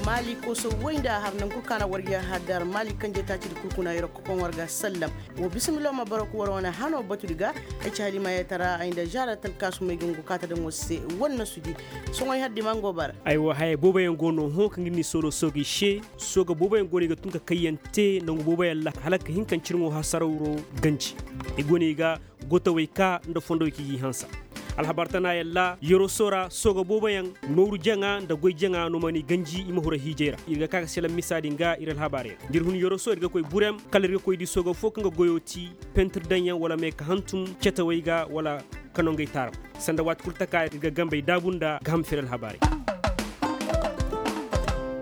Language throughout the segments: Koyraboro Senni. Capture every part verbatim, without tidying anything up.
Maali koso woy nda a har nangu kaŋ a na war yahadar maali kanjey taacidi kul kuna yer'o ga kokoŋ war ga sallam. Wa bisimillo ma barok war wane hano batudi ga. Ay ci halimaayey tara ay nda zaara talkaasumey ga ngu kaata daŋ war se. War na sudi soŋoy haddi ma ngo bara. Aywa haya booboyaŋ go no hõ kaŋ ga ni soolo soogey se. Sooga booboyaŋ go no i ga tun ka kayyaŋ te nangu booboyaŋ ra hala ka hin ka ncirŋo hasarawro ganji. I go no i ga gotawey ka nda fondowey kaŋ i g'i hansa. Alhabar tana yalla yoroso ra sooga booboyaŋ, nooru jaŋa nda goy jaŋa no mana i ganji i ma hura hiijey ra. Ir ga ka ka selaŋ misa din ga ir alhabaarey ra da ir hun yoroso ir ga koy burem kala ir ga koy di sooga fo kaŋ ga goyo ti pentir daŋyaŋ wala meeka hantum cetawey ga wala kanongey taarab. Sanda waati kul taka ir ga gambey daabu nda gaham fere alhabaarey.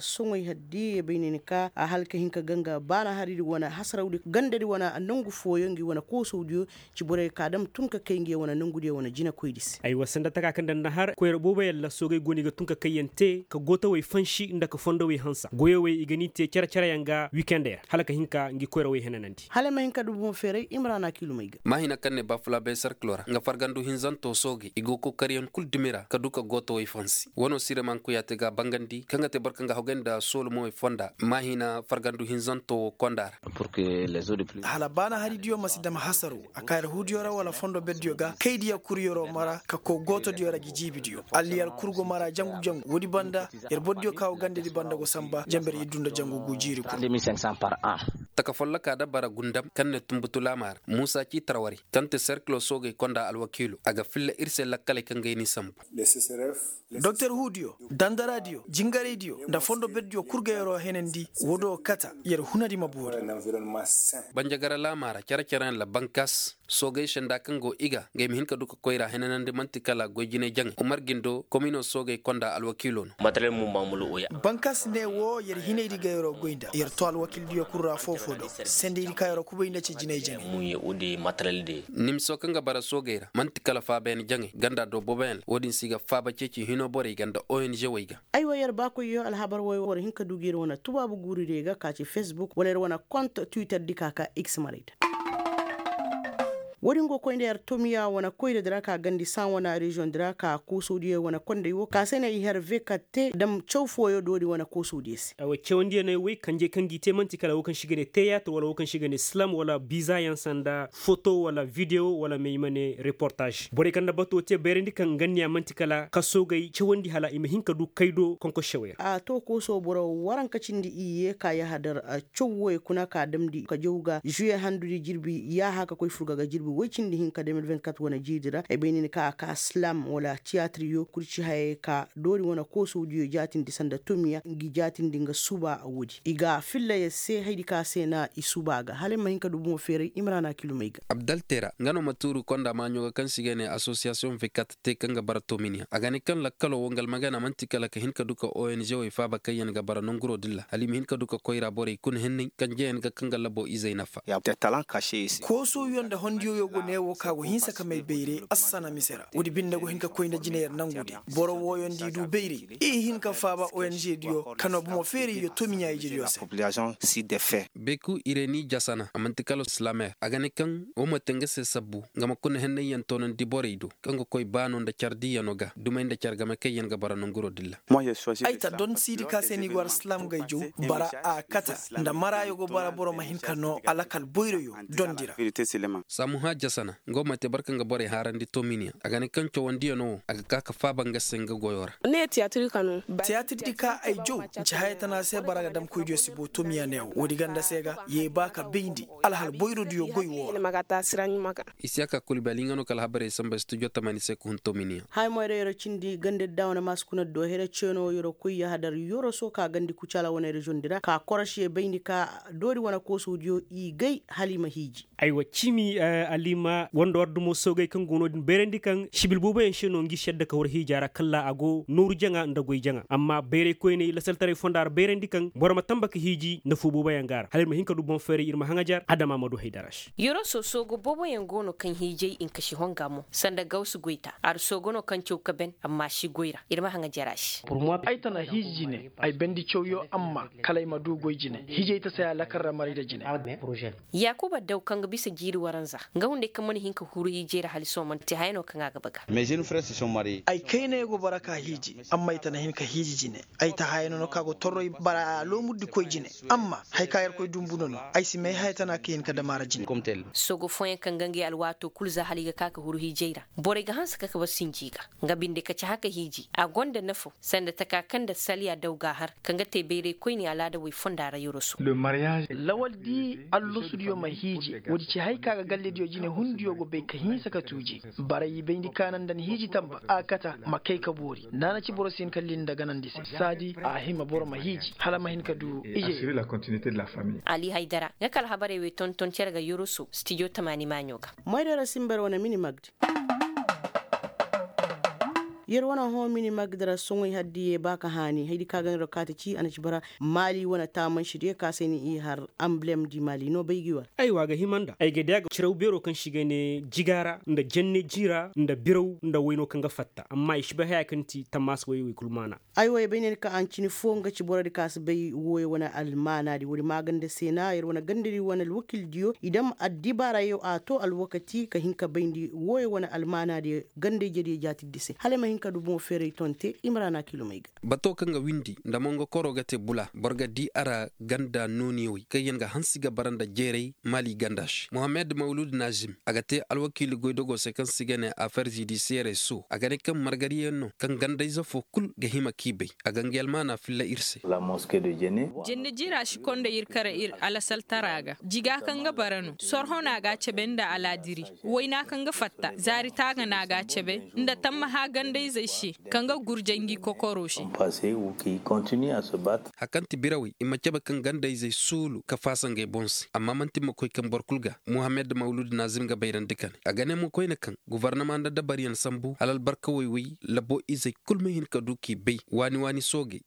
Soŋey haddi ya bay ne ni ka a hala ka hin ka ganga baana haridi wane hasarawdi gandadi wane nangu fooyaŋ ngi wane koosawdiyo. Ci borey ka dam tun ka kay ngi wane nangudiyo wane jinakoydi se. Aywa sanda taka kaŋ daŋ na har koyra boobo yalla soogey go no i ga tun ka kayyaŋ te ka gootawey fansi nda ka fondowey hansa goyowey i ga ni te cere-cereyaŋ ga wikendey ra hala ka hin ka ngi koyrawey henanandi hala ay ma hin ka du boŋ feeray imrana kilumey ga. Maahina kaŋ ne bafulabey serkilo ra nga fargandu hinzanto soogey i go kokariyaŋ kul dumi ra ka du ka gootawey fansi wano siremankuya te ga a bangandi kaŋ ga te boro kaŋ ga hogay nda soolumawey fonda maahina fargandu hinzanto wo konda ra. Hala baana haridiyo ma si dam hasaro a ka yer huudiyo ra wala fondo berdiyo ga kaydiyo kul yero mara ka koy gootodiyo ra gi jiibidiyo alliyar kul go mara jangu-jangu woodi banda yer bordiyo ka go gandadi banda go sanba janber iddu nda jangu gu jiiri kul. Taka folloka da bara gundam kaŋ ne tunbutu laama ra muusa ci tarwari kaŋ te serkilo soogey konda alwakiilo a ga filla ir se lakkaley kaŋ ga ay n'i sanbu. Doktor huudiyo dandaradiyo jingaraydiyo nda fondo berdiyo kul ga yeroo henandi woodoo kata yer hunadi ma boori. Banjagara laamaa ra cere-cereyaŋ ra bankas soogey senda kaŋ go i ga nga ay ma hin ka du ka koyra henanandi man'ti kala goy jinay jaŋay umar gindo kominoo soogey konda alwakiiloo no. Bankas ne woo yer hinaydi ga yeroo goy nda yer too alwakiildiyo kul ra foofoo do sendaydi ka yeroo kubay nda ci jinay jaŋay. Nimsoo kaŋ ga bara soogey ra man'ti kala faabayaŋ jaŋay ganda do booboyaŋ ra woodin se i ga faaba ceeci hinoo borey ga nda ong wey ga. Aywa yer baakoyyo alhabar woy war hin ka du ga yer wane tubaabu guurudiyey ga ka ci fesbuk wala yer wane kont twitter di ka ka x marayda. Woodin go koy nda yer tomiya wane koyradi ra ka gandi san wane reziyoŋdi ra ka koosodiyo wane kondey wo ka se ne i her vekatte dam caw fooyo doori wane koosodiyo se. Cawandiyano woy kanjey kaŋ g'i te man'ti kala wo kaŋ se i ga ne teyaatir wala wo kaŋ se i ga ne silam wala bizayaŋ sanda foto wala videwo wala may ma ne reportaaz borey kaŋ na bato te bayrandi kaŋ ganniya man'ti kala kasoogay cawandi hala i ma hin ka du kaydo konkossewey ra. A to kooso boro waranka cindi iyye ka yahadar caw woy kuna ka damndi ka jaw ga žuye handudi jirbi yaaha ka koy furga ga jirbi woy cindi hinka de mil vingt-quatre wane jiidi ra ay bay nin ka a ka silam wala tiyaatir yo kul ci hayey ka doori wane koosowdiyo jaatindi sanda tomiya ngi jaatindi nga suba woodi i ga filla yer se haydi ka se na i suba ga hala ay ma hin ka du bomo feeray imrana kilumey ga. Abdaltera nga no ma tuuru konda maaɲo ga kaŋ se i ga ne asosiyasiyoŋ vekat te kaŋ ga bara tominiya a ga ne kaŋ lakkalo wo nga almagana man'ti kala ka hin ka du ka ong wey faaba kaŋ yaŋ ga bara nanguro din ra hala i ma hin ka du ka koyra borey kuna henney kaŋ jeyaŋ ga kaŋ ga labo izey nafa. Koosoyo nda hondiyoyo go ne wo ka go hinsa ka may bayre assana mise ra woodi binde go hin ka koy nda jine yer nangudi boro wooyo nda i du bayray i hin ka faaba ong diyo kaŋ no bomo feeray yo tomiɲa ijediyo se. Beku ireni jasana a man'ti kala silamer a ga ne kaŋ wo ma te nga se sabbu nga ma kuna henney yaŋ toonandi borey do kaŋ ga koy baano nda care diiyano ga dumey nda care game kaŋ yaŋ ga bara nanguro dilla. Ay ta don siidi ka se ni go ara silaam gayjo bara a kata nda maraayo go bara boro ma hin ka noo alakal boyroyo dondi ra. Saamuha jasana nga wo ma te boro kaŋ ga borey haarandi tominiya a ga ne kaŋ cawandiyano wo a ga ka ka faaba nga se nga goyo ra. Tiyaatir di ka ay jaw nci haya tana se bara ga dam koydiyo si boo tomiya ne wo woodi ganda se ga ye ba ka bayndi alhal boyrodiyo goy wo ra. Isiyaka kulbali nga no ka alhabarey samba studio tamani se ka hun tominiya. Haya moyra yero cindi gandadi da wane maasi kuna do here ceeno yero koy yahadar yero soo ka gandi kucaala wane reziyoŋ di ra ka korosi ye bayndi ka doori wane koosowdiyo i gay hala i ma hiiji. Aywa ciimi alima wanda war dumo soogay kaŋ go no- din bayrandi kaŋ sibil booboyaŋ se no ngi si yadda ka war hiija ra kalla a go nooru jaŋa nda goy jaŋa amma bayray koyney lasaltaray fonda ra bayrandi kaŋ boro ma tamba ka hiiji nda foo booboyaŋ ga a ra hala ir ma hin ka du boŋ fayray ir ma haŋajar adama ma du haydara se. Yoroso soogo booboyaŋ go no kaŋ hiijay inkasi honga mo sanda gawsu goyta ar soogo no kaŋ caw ka ben amma si goy ra ir ma haŋajar a se. Ay tana hiiji jine ay bendi cawyo amma kala ay ma du goy jine hiijay ta saya lakar ra maray da jine. Yaakuba daw kaŋ ga bisa jiiri waranza. ga hunday kaŋ mana hin ka huru hiijey ra hala sohõ mana te haya no kaŋ a ga baga. Ay kayna yaŋ go bara ka hiiji amma ay tana hin ka hiiji jine. Ay ta haya no no ka go torro ay bara loomuddi koy jine. Amma haya ka yerkoy dumbu no no ay si may haya tana ka hin ka dam a ra jine. Sogo fooyaŋ kaŋ ga ngey alwaato kulu za hala i ga ka ka huru hiijey ra, borey ga hanse ka ka bar sinji ga. Nga binde ka ci haka hiiji a gonda nafo sanda taka kaŋ nda salya daw ga a har kaŋ ga te bayray koyne alaada way fonda ra yoroso. Lawal di allosudiyo ma hiiji. Woodi ci hay ka ga gallediyo jine hundiyo go bay ka hinsa ka tuuje. Baray i bayndi kaana nda ni hiiji tamba a kata ma kay ka boori naana ci boro si hin ka lilli nda ganandi se saadi a hima boro ma hiiji hala ma hin ka du ije. Ali haydara nga ka alhabarey wey tonton cere ga yoroso stijo tamaani maaɲo ga. Moydara simber wane mini magdi. Yer wane hõ mini magdi ra soŋey haddiye ba ka haani haydi ka ga ni ra kaati ci a na ci bara maali wane taamansi diyo ka se ni i har amblem di maali no bay gi war. Aywa a ga hima nda ay ga di a ga ciraw beero kaŋ se i ga ne jiga ra nda jenne jii ra nda biraw nda wayno kaŋ ga fatta amma i si bay haya kaŋ ti tammaasa wayey wey kulu maana. Aywa ay bay ne ni ka ancini fo nga ci borodi ka si bay wooyo wane almaanaadi woodi maaganda se na yer wane gandadi wane alwakildiyo i dam addibaarayo a to alwakati ka hin ka bayndi wooyo wane almaanaadi gandayjediyo jaatirdi se hala ay ma hin ka du boŋo feeray tonte i ma ra na kilomey ga. Bato kaŋ ga windi nda mongo koro ga te bula boro ga di a ra ganda nooniyawey kaŋyaŋ ga hansi ga bara nda jeeray maali ganda se mohammed mawlud nazim a ga te alwakiili goydogo se kaŋ se i ga ne afer zidisiyerey so a ga ne kaŋ margariyaŋ no kaŋ gandayze fo kul ga hima k'i bay a ga ngey almaana filla ir se. Jenne jiira si konda ir kara ir alasaltara ga jiga kaŋ ga bara no sorho no a ga a cabe nda alaadiri wayna kaŋ ga fatta zaari taaga no a ga a cabe nda tammaha gandayzey se kaŋ ga gurjay ngi kokoro se. Hari kaŋ ti birawey i ma cabe kaŋ gandayzey suulu ka faasa ngey boŋ se amma man'ti ma koy kaŋ boro kul ga muhammed mawlud nazim ga bayrandi kane a ga ne mo koyne kaŋ gobornama nda dabaryaŋ sambu hala albarka woy-woy labo izey kul ma hin ka du k'i bay waani-waani soogey.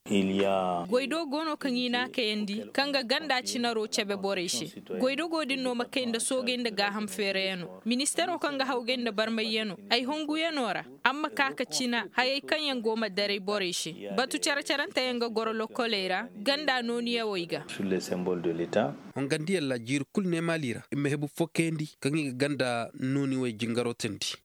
Goy do go no kaŋ i n'a kayandi kaŋ ga ganda cinaro cabe borey se. Goy do go din no ma kay nda soogey nda gaaham feerayano ministero kaŋ ga hawgay nda barmayyano ay honguyano ra. Amma ka ka cina hayey kaŋ yaŋ go ma daray borey se. Batu care-caranteyaŋ ga goro lokkoley ra ganda nooniyawey ga. Hongandiyaŋ ra jiiri kulu ne maali ra i ma hebu fo kayandi kaŋ i ga ganda nooniwey jingaro teendi.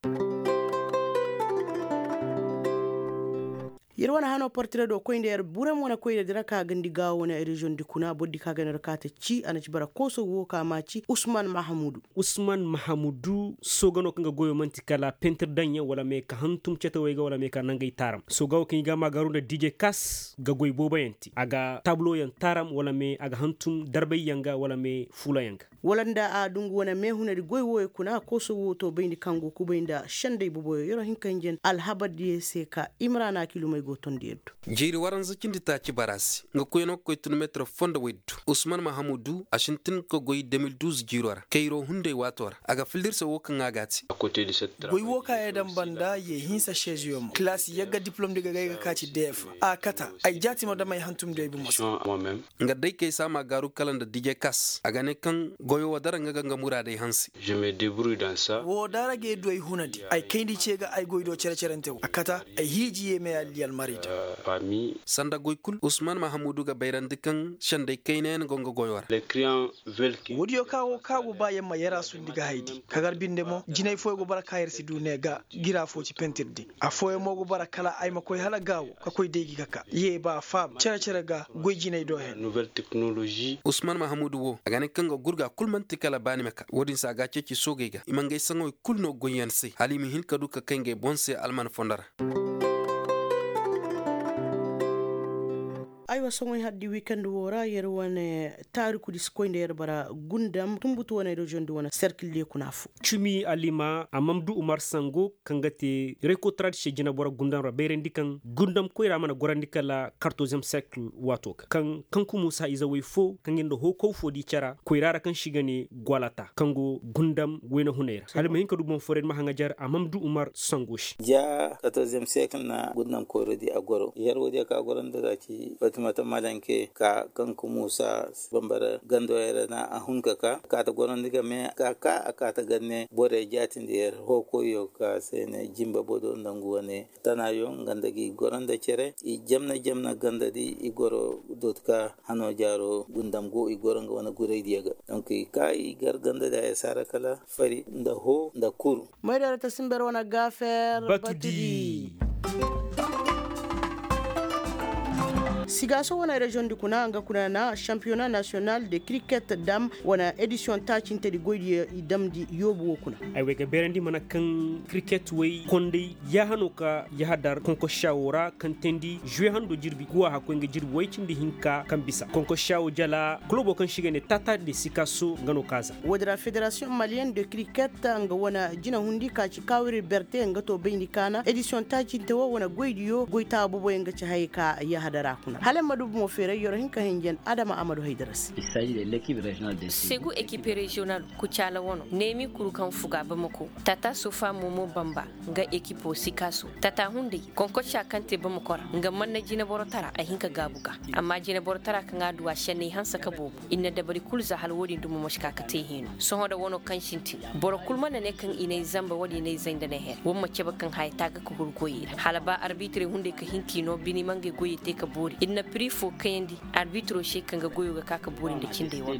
Yer wane hano portire do koy nda yer burem wane koy nda dira ka gandi gaawo wane reziyoŋ di kuna boro di ka ga nda yer kaate ci a na ci bara kooso wo ka ma ci usman mahamudu. Usman mahamudu sooga no kaŋ ga goyo man'ti kala pentir daŋyaŋ wala me ka hantum cetewey ga wala me ka nangey taaram sooga wo kaŋ i ga a ma gaaru nda dije kas ga goy booboyaŋ te a ga taabloyaŋ taaram wala me a ga hantum darbayyaŋ ga wala me fuulayaŋ ga. Wala nda a dungu wane meehunadi goy wooyo kuna kooso wo to bayndi kaŋ go kubay nda sendey boboyo yeroo hinka hinjen alhabardiyo se ka imrana kilumey go tondi yaddo. Jiiri waranza cindi taaci bara se nga koyno ga koy tun meetir foo nda woy du usman mahamudu a sintin ka goy de mil duuz jiiro ra kayro hunday waato ra a ga filla ir se woo kaŋ a ga a te. Goy woo kaŋ ay daŋ banda ye hinsa seeziyo mo kilaasi yagga diplom di ga gay ga kaaci deef a kata ay jaati ma dam ay hantum deebi moso. Nga day kay se a ma gaaru kala nda dije kas a ga ne kaŋ goyo wo dara nga ga nga muraadey hanse. Woo daara ga ay du ay hunadi ay kayndi ce ga ay goy do cere-cerante wo a kata ay hiiji ye me alli almari da. Sanda goy kul usman mahamudu ga bayrandi kaŋ sendey kaynayaŋ go nga goyo ra. Woodiyo ka wo ka go ba yamma yara sundi ga haydi kagar binde mo jinay fooyo go bara ka yar si du ne ga gira foo ci pentir di. Afooyaŋ mo go bara kala ay ma koy hala gaawo ka koy day gi ga ka ye ba faaba cere-cere ga goy jinay do hen. Usman mahamudu wo a ga ne kaŋ ga gurga kul man'ti kala baani ma ka woodin se a ga a ceeci soogey ga i ma ngey saŋawey kul no goyyaŋ se hala i ma hin ka du ka kay ngey boŋ se alman fondo ra. Aywa soŋoy haddi wikend woo ra yer wane taarikudi si koy nda yer bara gundam tumbutu wane reziyoŋ di wane serkil diyo kuna foo. Cumi alima a mam du umar sango kaŋ ga te rekotarad se jinaboro gundam ra bayrandi kaŋ gundam koyra mana gorandi kala kartozem serkil waato ga kaŋ kaŋ ku muusa izawey foo kaŋ ir nda hookow foo di cara koyra ra kaŋ se i ga ne gwalata kaŋ go gundam wayna hunay ra hala ma hin ka du boŋ fooray ni ma haŋajer a mam du umar sango se. Ja kartozem serkil na gundam koyro di a goro yer woodiyo kaŋ a goro nda za ci. Mata madanke ka kaŋ ka muusa bambara gando yara na a hun ka ka a kaata gorandi game ka ka a kaata ganne borey jaatindi yar hookoyo ka se ne jimba bodo nda ngu wane tanayo nga nda gi goro nda cere i jamna jamna ganda di i goro dotka hano jaaro gundam go i goro nga wane guray diya ga. Donk i ka i gar ganda di haya saara kala fari nda hoo nda kuru. Moydara ta simber wane gafer batu di. Sigaso wane reziyoŋ di kuna nga kuna na shampiyona nasiyonal de kiriket dam wane edisiyoŋ taacinte di goy di i damndi yoobu wo kuna. Ay way ga beerandi mana kaŋ kiriket way konday yaahano ka yahadar konkosha wo ra kaŋ teendi zuwe hando jirbi guwa hakkoy nga jirbi way cindi hinka kaŋ bisa konkosha wo jala kulobo kaŋ se i ga ne tata de sikaso nga no ka za. Woodin ra federasiyoŋ maliyen de kiriket nga wane jinahundi ka ci kawiri berte nga to bayndi kaana edisiyoŋ taacinte wo wane goydiyo goy taaboboyaŋ ga ci hayey ka yahadara kuna hala ay ma du bomo feeray yoro hinka hinjan adama amadu haydara se. Segu ekipe reziyonal kucaala wano neemi kuru kaŋ fuga bamako tata sofa momo bamba nga ekipo sikaso tata hunday konkoca kaŋ te bamako ra nga manna jineboro tara a hin ka gaabu ga. Amma jineboro tara kaŋ a du a senney hanse ka boobo i na dabari kulu za hala wo-din dumo ma si ka ka te hino sohõ nda wano kaŋ sintin boro kulu mana ne kaŋ i n'ay zamba wala i n'ay zay nda ne her war ma cabe kaŋ haya taaga ka huru goyey ra hala ba arbitirey hunday ka hin k'i no bini ma ngey goyey te ka boori ir na piri fo kayandi arbitiro se kaŋ ga goyo ga ka ka boori nda cindey wano.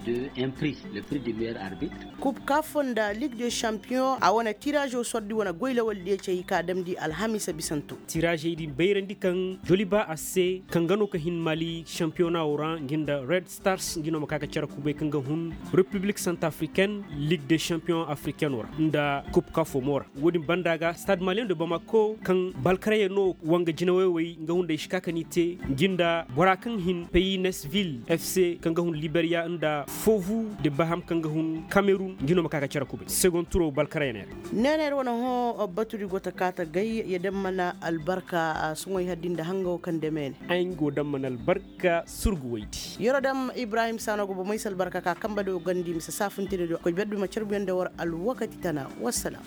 Kub kafo nda lig de shampiyoŋ a wane tirazo sordi wane goy lawaldiyo cey ka damndi alhamisa bisanto. Tirazey din bayrandi kaŋ joliba a se kaŋ ga no ka hin mali shampiyona wo ra ngi nda red stars ngi no ma ka ga care kubay kaŋ ga hun repiblik santafriken lig de shampiyoŋ afriken wo ra nda kub kafo mo ra. Wo-din banda ga stade malien de bamako kaŋ balkarayey no wanga jinawaywey nga hunday si ka ka n'i te ngi nda bora kaŋ hin paynesville fc kaŋ ga hun liberiya nda fovu de baham kaŋ ga hun kamerun ngi no ma ka ga care kubay segon turo balkarayey ne ra. Neene ir wane hõ batudi go ta kaa ta gay ya daŋ mana albarka. Soŋoy haddi nda hanga wo kaŋ deme ne ay nga wo daŋ mana albarka surgu waydi. Yoro daŋ ibrahim saano go bomey si albarka ka kambe do gandi mise saafuntedi do koy berdu ma carbuyaŋ nda war alwakati tana. Wassalam.